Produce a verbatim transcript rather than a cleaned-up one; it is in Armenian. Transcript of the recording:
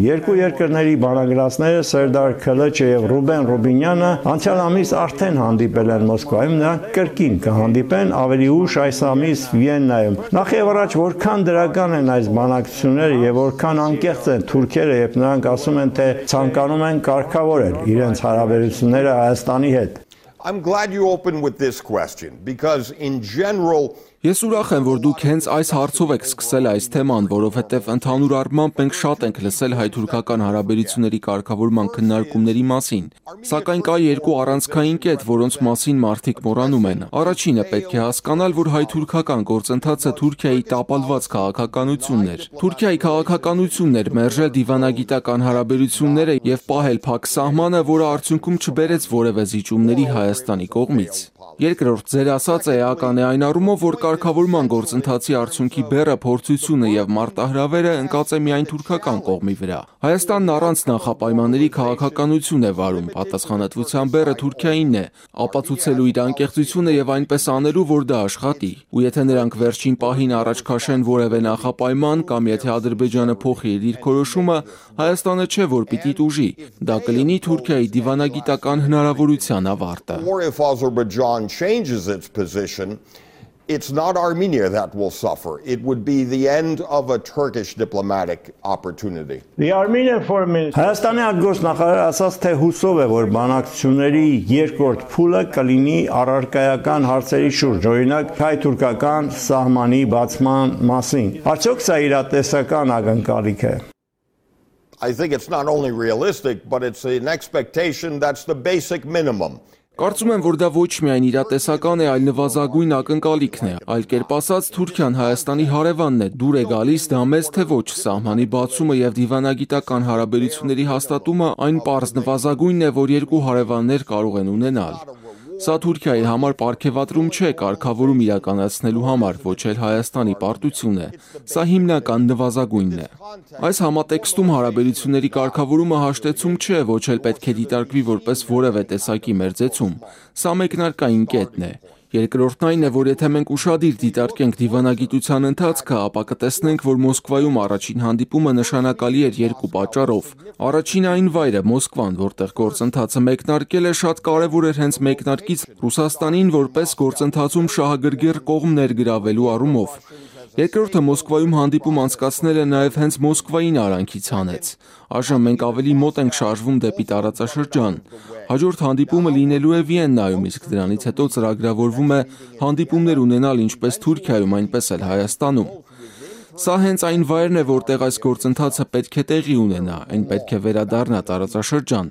Երկու երկրների բանագնացները Սերդար Քելեչը եւ Ռուբեն Ռուբինյանը անցյալ ամիս արդեն հանդիպել են Մոսկվայում, նրանք կրկին կհանդիպեն ավելի ուշ այս ամիս Վիեննայում։ Նախ եւ առաջ որքան դրական են այս բանակցությունները եւ որքան անկեղծ են թուրքերը, երբ նրանք ասում են, թե ցանկանում են կարգավորել իրենց հարաբերությունները Հայաստանի հետ։ I'm glad you opened with this question because in general Ես ուրախ եմ, որ դուք հենց այս հարցով եք սկսել այս թեման, որովհետև ընդհանուր առմամբ մենք շատ ենք լսել հայ-թուրքական հարաբերությունների կարգավորման քննարկումների մասին, սակայն կա երկու առանցքային կետ, որոնց մասին մարդիկ մոռանում են։ Առաջինը պետք է հասկանալ, որ հայ-թուրքական գործընթացը Թուրքիայի տապալված քաղաքականությունն էր։ Թուրքիայի քաղաքականությունն էր մերժել դիվանագիտական հարաբերությունները եւ պահել փակ սահմանը, որը արդյունքում չբերեց որևէ զիջումների Հայաստանի կողմից։ Երկրորդ, ձեր ասածը էական է այն առումով, որ կարգավորման գործընթացի արդյունքի բեռը փորձությունը եւ մարտահրավերը ընկած է միայն թուրքական կողմի վրա։ Հայաստանն առանց նախապայմանների քաղաքականություն է վարում, պատասխանատվության բեռը Թուրքիայինն է, ապացուցելու իր անկեղծությունը եւ այնպես անելու, որ դա աշխատի։ Ու եթե նրանք վերջին պահին առաջ քաշեն որևէ նախապայման կամ եթե Ադրբեջանը փոխի իր դիրքորոշումը, Հայաստանը չէ, որ պիտի տուժի։ Դա կլինի Թուրքիայի դիվանագիտական հնարավորության ավարտը։ changes its position, it's not Armenia that will suffer. It would be the end of a Turkish diplomatic opportunity. The Armenian Foreign Minister Հայաստանի արտգործնախարարը ասաց, թե հուսով է, որ բանակցությունների երկրորդ փուլը կլինի առարկայական հարցերի շուրջ, օրինակ հայ-թուրքական սահմանի բացման մասին։ Արդյոք սա իրատեսական ակնկալիք է։ I think it's not only realistic, but it's an expectation that's the basic minimum. Կարծում եմ, որ դա ոչ միայն իրատեսական է, այլ նվազագույն ակնկալիքն է, այլ կերպ ասած Թուրքիան Հայաստանի հարևանն է, դուր է գալիս դա մեզ թե ոչ, սահմանի բացումը եւ դիվանագիտական հարաբերությունների հաստատումը այն պարզ նվազագույնն է, որ երկու հարևաններ կարող են ունենալ։ Սա Թուրքիայի համար պարգևատրում չէ կարգավորում իրականացնելու համար, ոչ էլ Հայաստանի պարտություն է։ Սա հիմնական նվազագույնն է։ Այս համատեքստում հարաբերությունների կարգավորումը հաշտեցում չէ, ոչ էլ պետք է դիտարկվի որպես որևէ տեսակի մերձեցում։ Սա մեկնարկային կետն է։ Երկրորդն այն է, որ եթե մենք ուշադիր դիտարկենք դիվանագիտության ընթացքը, ապա կտեսնենք, որ Մոսկվայում առաջին հանդիպումը նշանակալի էր երկու պատճառով։ Առաջինը այն վայրը Մոսկվան, որտեղ գործընթացը մեկնարկել է, շատ կարևոր էր հենց մեկնարկից Ռուսաստանին որպես գործընթացում շահագրգիռ կողմ ներգրավելու առումով։ Երկրորդը Մոսկվայում հանդիպում անցկացնելը նաև հենց Մոսկվային արանքից հանեց։ Այժմ մենք ավելի մոտ ենք շարժվում դեպի տարածաշրջան։ Հաջորդ հանդիպումը լինելու է Վիեննայում, իսկ դրանից հետո ծրագրավորվում է հանդիպումներ ունենալ ինչպես Թուրքիայում, այնպես էլ Հայաստանում։ Սա հենց այն վայրն է, որտեղ այս գործընթացը պետք է տեղի ունենա, այն պետք է վերադառնա տարածաշրջան։